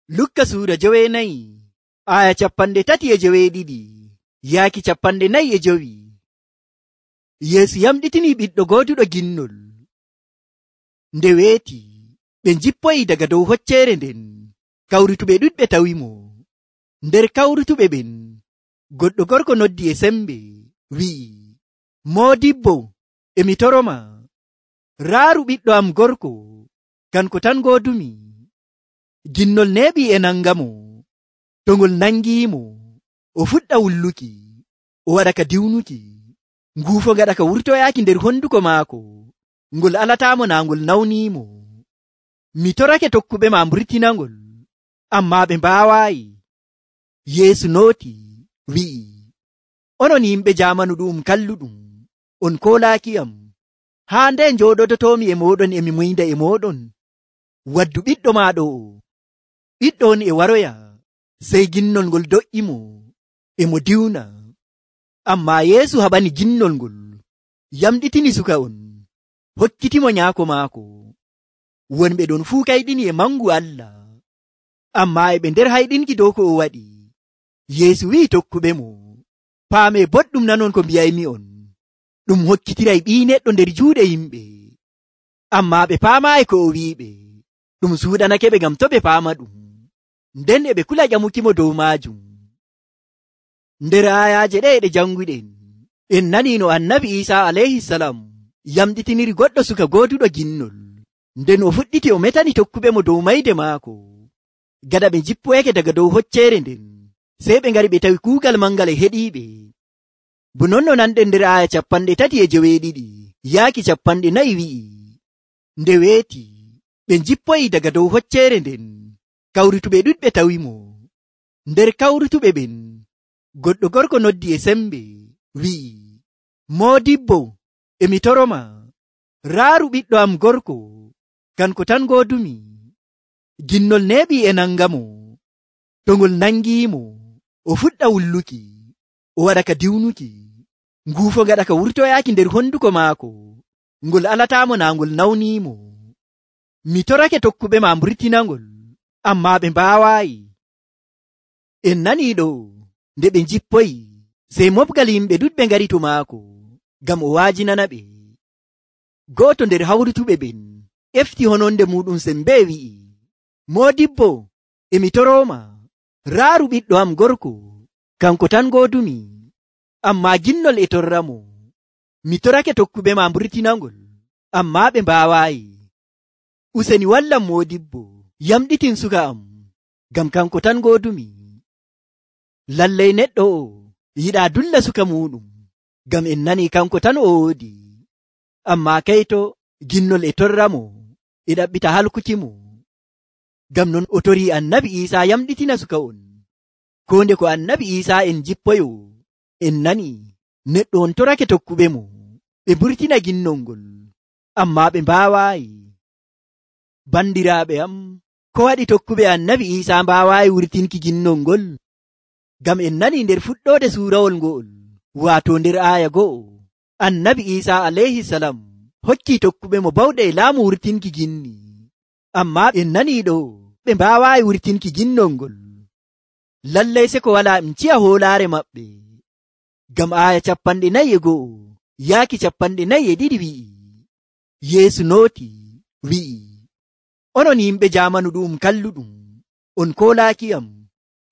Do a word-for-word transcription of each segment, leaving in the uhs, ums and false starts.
Lukka suura joweenayi aya capanɗe tati e joweeɗiɗi yaaki capanɗe nayi e jowi. Yeesu yamɗitini ɓiɗɗo gooduɗo ginnol. Nde weeti ɓe njippoyi daga dow hocceere nden. Kawrutuɓe ɗuɗɓe tawimo. Nder kawrutuɓe ɓen goɗɗo gorko noddi e sembe wi'i, Moodibbo, emi toroma, raaru ɓiɗɗo am gorko, kanko tan goodumi. Ginnol neeɓi e nangamo. To ngol nangiimo, o fuɗɗa wulluki, o waɗa ka diwnuki, nguufo gaɗa ka wurtoyaaki nder honduko maako, ngol alataamo naa ngol nawniimo. Mi torake tokkuɓe ma mburtinangol, ammaa ɓe mbaawaayi. Yeesu nooti wi'i, onon yimɓe jaamanu ɗu'um kalluɗum, on koolaakiyam. Haa nde njooɗodotoomi e mooɗon emi muynda e mooɗon? Waddu ɓiɗɗo ma ɗo o. Ɓiɗɗo on e waroya. Sey ginnol ngol do'imo, e mo diwna. Ammaa Yeesu haɓani ginnol ngol, yamɗitini suka on, hokkitimo nyaako maako. Wonɓe ɗon fuu kayɗini e mangu Allah, ammaa e ɓe nder hayɗinki dow ko o waɗi. Yeesu wi'i tokkuɓe mo, paame boɗɗum nanon ko mbiyaymi on. Ɗum hokkitiray Ɓii Neɗɗo nder juuɗe yimɓe, ammaa ɓe paamaayi ko o wi'iɓe. Ɗum suuɗanake ɓe ngam to ɓe paama ɗum, nden e ɓe kula ƴamukimo dow maajum. Nder ayaaje ɗe ɗe janguɗen, en nani no annabi Iisaa alayhisalam yamɗitiniri goɗɗo suka gooduɗo ginnol, nden o fuɗɗiti o metani tokkuɓe mo dow mayde maako. Gaɗa ɓe jippoyake daga dow hocceere nden, sey ɓe ngari ɓe tawi kuugal mangal e heɗiiɓe. Bo non no nanɗen nder aya capanɗe tati e joweeɗiɗi yaaki capanɗe nayi wi'i, nde weeti ɓe jippoyi daga dow hocceere nden. Kawrutuɓe ɗuɗɓe tawimo. Nder kawrutuɓe ɓen goɗɗo gorko noddi e sembe wi'i, Moodibbo, emi toroma, raaru ɓiɗɗo am gorko, kanko tan goodumi. Ginnol neeɓi e nangamo. To ngol nangiimo, o fuɗɗa wulluki, o waɗa ka diwnuki, nguufo gaɗa ka wurtoyaaki nder honduko maako, ngol alataamo naa ngol nawniimo. Mi torake tokkuɓe ma mburtinangol, ammaa ɓe mbaawaayi. En nanii ɗo, nde ɓe njippoyi, sey moɓgal yimɓe ɗuɗɓe ngari to maako, ngam o waajinana ɓe. Gooto nder hawrutuɓe ɓen efti hononde muɗum sembe wi'i, Moodibbo, emi toroma, raaru ɓiɗɗo am gorko, kanko tan goodumi. Ammaa ginnol e torramo. Mi torake tokkuɓe ma mburtinangol, ammaa ɓe mbaawaayi. Useni wallam Moodibbo, yamɗitin suka am, ngam kanko tan goodumi. Lallay neɗɗo o yiɗaa dulla suka muɗum, ngam en nani kanko tan o woodi. Ammaa kayto ginnol e torramo, e ɗaɓɓita halkukimo. Ngam non o torii annabi Iisaa yamɗitina suka on. Ko nde ko annabi Iisaa en jippoyo, en nani neɗɗo on torake tokkuɓe mo, ɓe mburtina ginnol ngol, ammaa ɓe mbaawaayi. Bandiraaɓe am, ko waɗi tokkuɓe annabi Iisaa mbaawaayi wurtinki ginnol ngol? Ngam en nani nder fuɗɗoode suurawol ngo'ol, waato nder aaya go'o, annabi Iisaa alayhisalam hokki tokkuɓe mo bawɗe e laamu wurtinki ginni, ammaa en nani ɗo ɓe mbaawaayi wurtinki ginnol ngol. Lallay se ko walaa em ciya hoolaare maɓɓe. Ngam aaya capanɗe nayi e go'o yaaki capanɗe nayi e ɗiɗi wi'i, Yeesu nooti wi'i, onon yimɓe jaamanu ɗu'um kalluɗum, on koolaakiyam.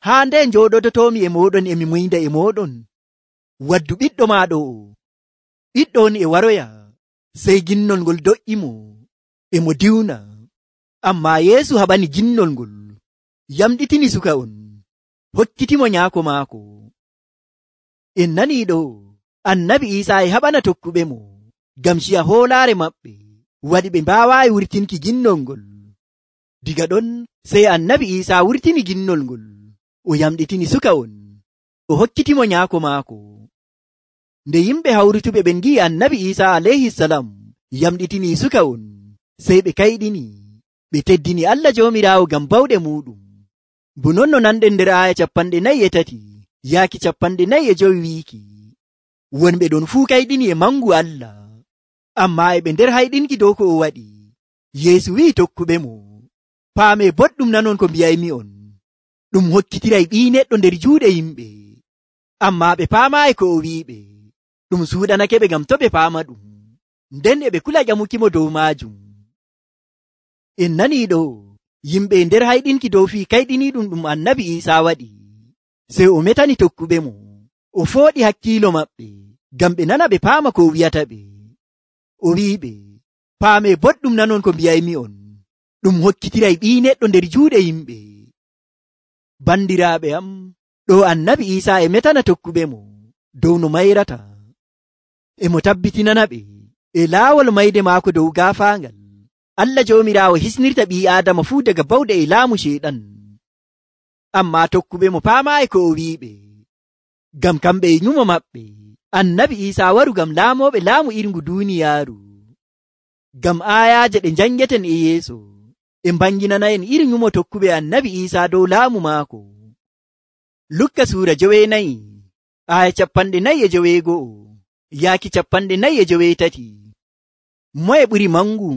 Haa nde njooɗodotoomi e mooɗon emi muynda e mooɗon? Waddu ɓiɗɗo ma ɗo o. Ɓiɗɗo on e waroya. Sey ginnol ngol do'imo, e mo diwna. Ammaa Yeesu haɓani ginnol ngol, yamɗitini suka on, hokkitimo nyaako maako. En nanii ɗo, annabi Iisaa e haɓana tokkuɓe mo, ngam ciya hoolaare maɓɓe, waɗi ɓe mbaawaayi wurtinki ginnol ngol. Diga ɗon sey annabi Iisaa wurtini ginnol ngol, o yamɗitini suka on, o hokkitimo nyaako maako. Nde yimɓe hawrutuɓe ɓen ngi'i annabi Iisaa alayhisalam yamɗitini suka on, sey ɓe kayɗini, ɓe teddini Allah Joomiraawo ngam bawɗe muɗum. Bo non no nanɗen nder aaya capanɗe nayi e tati yaaki capanɗe nayi e jowi wiiki, wonɓe ɗon fuu kayɗini e mangu Allah, ammaa e ɓe nder hayɗinki dow ko o waɗi. Yeesu wi'i tokkuɓe mo, paame boɗɗum nanon ko mbiyaymi on. ɗum hokkitiray ɓii neɗɗo nder juuɗe yimɓe, ammaa ɓe paamaayi ko o wi'iɓe. Ɗum suuɗanake ɓe ngam to ɓe paama ɗum, nden e ɓe kula ƴamukimo dow maajum. En nanii ɗo, yimɓe nder hayɗinki dow fii kayɗiniiɗum ɗum annabi Iisaa waɗi, sey o metani tokkuɓe mo, o fooɗi hakkiilo maɓɓe, ngam ɓe nana ɓe paama ko o wi'ata ɓe. O wi'iɓe, paamee boɗɗum nanon ko mbiyaymi'on, ɗum hokkitiray ɓii neɗɗo nder juuɗe yimɓe. Bandiraaɓe am, ɗo annabi Iisaa e metana tokkuɓe mo dow no mayrata, e mo tabbitinana ɓe e laawol mayde maako dow gaafaangal Allah Joomiraawo hisnirta ɓii Aadama fuu daga bawɗe e laamu Ceyɗan. Ammaa tokkuɓe mo paamaayi ko o wi'iɓe, ngam kamɓe e nyumo maɓɓe annabi Iisaa waru ngam laamooɓe laamu irngu duuniyaaru. Ngam aayaaje ɗe njangeten e yeeso e mbanginana'en iri nyumo tokkuɓe annabi Iisaa dow laamu maako. Lukka suura joweenayi aaya capanɗe nayi e joweego'o yaaki capanɗe nayi e joweetati. Moye ɓuri mangu?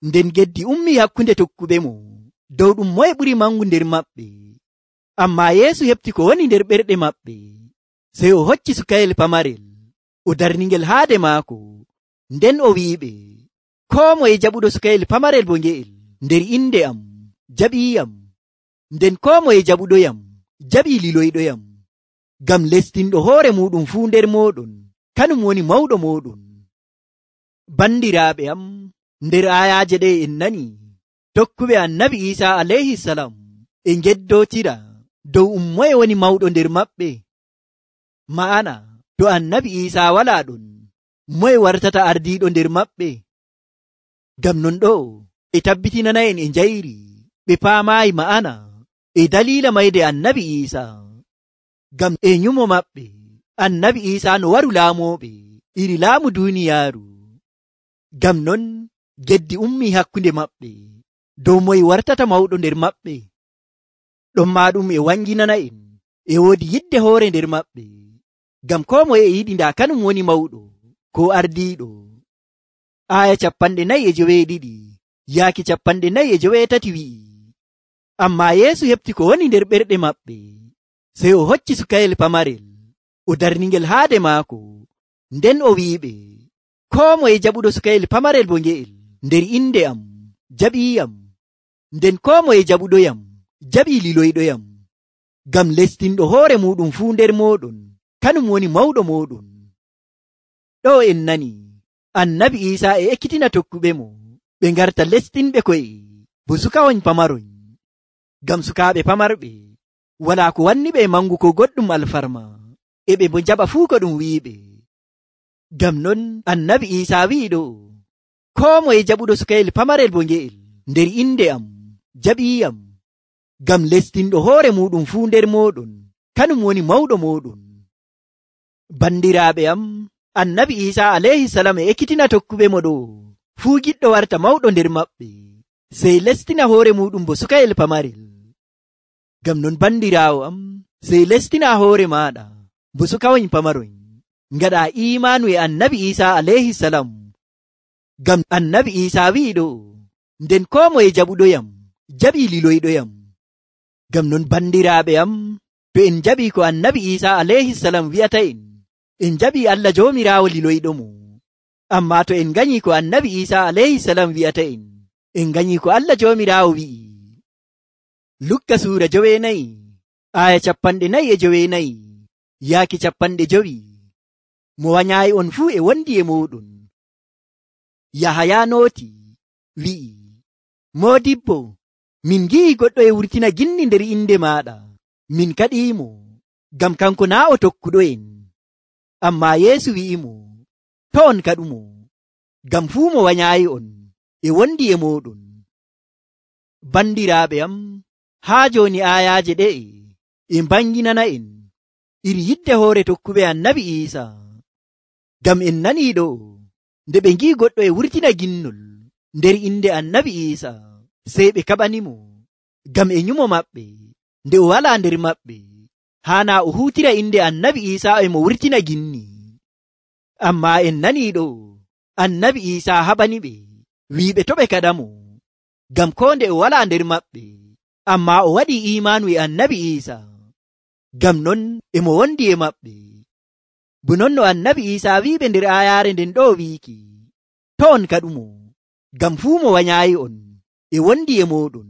Nden geddi ummii hakkunde tokkuɓe mo dow ɗum moye ɓuri mangu nder maɓɓe. Ammaa Yeesu heɓti ko woni nder ɓerɗe maɓɓe, sey o hocci sukayel pamarel o darningel haade maako, nden o wi'iɓe, koo moye jaɓuɗo sukayel pamarel bo nge'el nder inde am jaɓiiyam, nden koo moye jaɓuɗoyam jaɓii liloyɗoyam. Ngam lestinɗo hoore muɗum fuu nder mooɗon kanum woni mawɗo mooɗon. Bandiraaɓe am, nder aayaaje ɗe en nani tokkuɓe annabi Iisaa alayhi salam e ngeddootira dow um moye woni mawɗo nder maɓɓe. Ma'ana to annabi Iisaa walaa ɗon, moye wartata ardiiɗo nder maɓɓe? Ngam non ɗo e tabbitinana'en e njayri ɓe paamaayi ma'ana e daliila mayde annabi Iisaa. Ngam e nyumo maɓɓe annabi Iisaa no waru laamooɓe iri laamu duuniyaaru. Ngam non geddi ummii hakkunde maɓɓe dow moye wartata mawɗo nder maɓɓe. Ɗonmaa ɗum e wanginana'en e woodi yidde hoore nder maɓɓe, ngam koo moye e yiɗi ndaa kanum woni mawɗo ko ardiiɗo. Aaya capanɗe nayi e joweeɗiɗi yaaki capanɗe nayi e joweetati wi'i, ammaa Yeesu heɓti ko woni nder ɓerɗe maɓɓe, sey o hocci sukayel pamarel o darningel haade maako, nden o wi'iɓe, koo moye jaɓuɗo sukayel pamarel bo nge'el nder inde am jaɓiiyam, nden koo moye jaɓuɗoyam jaɓii liloyɗoyam. Ngam lestinɗo hoore muɗum fuu nder mooɗon kanum woni mawɗo mooɗon. Ɗo en nani annabi Iisaa e ekkitina tokkuɓe mo ɓe ngarta lestinɓe ko'e bo sukawoñ pamaroñ. Ngam sukaaɓe pamarɓe walaa ko wanni ɓe mangu ko goɗɗum alfarma, e ɓe bo jaɓa fuu ko ɗum wi'iɓe. Ngam non annabi Iisaa wi'i ɗo, koo moye jaɓuɗo sukayel pamarel bo nge'el nder inde am jaɓiiyam, ngam lestinɗo hoore muɗum fuu nder mooɗon kanum woni mawɗo mooɗon. Bandiraaɓe am, annabi Iisaa alayhi salam e ekkitina tokkuɓe mo ɗo, fuu giɗɗo warta mawɗo nder maɓɓe, sey lestina hoore muɗum bo sukayel pamarel. Ngam non bandiraawo am, sey lestina hoore maaɗa bo sukawoñ pamaroñ, ngaɗa imaanu e annabi Iisaa alayhi salam. Ngam annabi Iisaa wi'i ɗo, nden koo moye jaɓuɗoyam jaɓii liloyɗoyam. Ngam non bandiraaɓe am, to en jaɓii ko annabi Iisaa alayhi salam wi'ata en, en jaɓii Allah Joomiraawo liloyɗo mo. Ammaa to en nganyii ko annabi Iisaa alayhi salam wi'ata en, en nganyii ko Allah Joomiraawo wi'i. Lukka suura joweenayi aaya capanɗe nayi e joweenayi yaaki capanɗe jowi. Mo wanyaayi on fuu e wondi e mooɗon. Yahaya nooti wi'i, Moodibbo, min ngi'i goɗɗo e wurtina ginni nder inde maaɗa, min kaɗiimo, ngam kanko naa o tokkuɗo'en. Ammaa Yeesu wi'imo, to on kaɗumo, ngam fuu mo wanyaayi on e wondi e mooɗon. Bandiraaɓe am, haa jooni aayaaje ɗe'e e mbanginana'en iri yidde hoore tokkuɓe annabi Iisaa. Ngam en nanii ɗo, nde ɓe ngi'i goɗɗo e wurtina ginnol nder inde annabi Iisaa, sey ɓe kaɓanimo, ngam e nyumo maɓɓe nde o walaa nder maɓɓe, haana o huutira inde annabi Iisaa e mo wurtina ginni. Ammaa en nanii ɗo, annabi Iisaa haɓaniɓe wi'iɓe to ɓe kaɗamo, ngam koo nde o walaa nder maɓɓe, ammaa o waɗii iimaanu e annabi Iisa. Ngam non e mo wondi e maɓɓe. Bo non no annabi Iisa wi'iɓe nder aayaare nden ɗo wiiki, to on kaɗumo, ngam fuu mo wanyaayi on e wondi e mooɗon.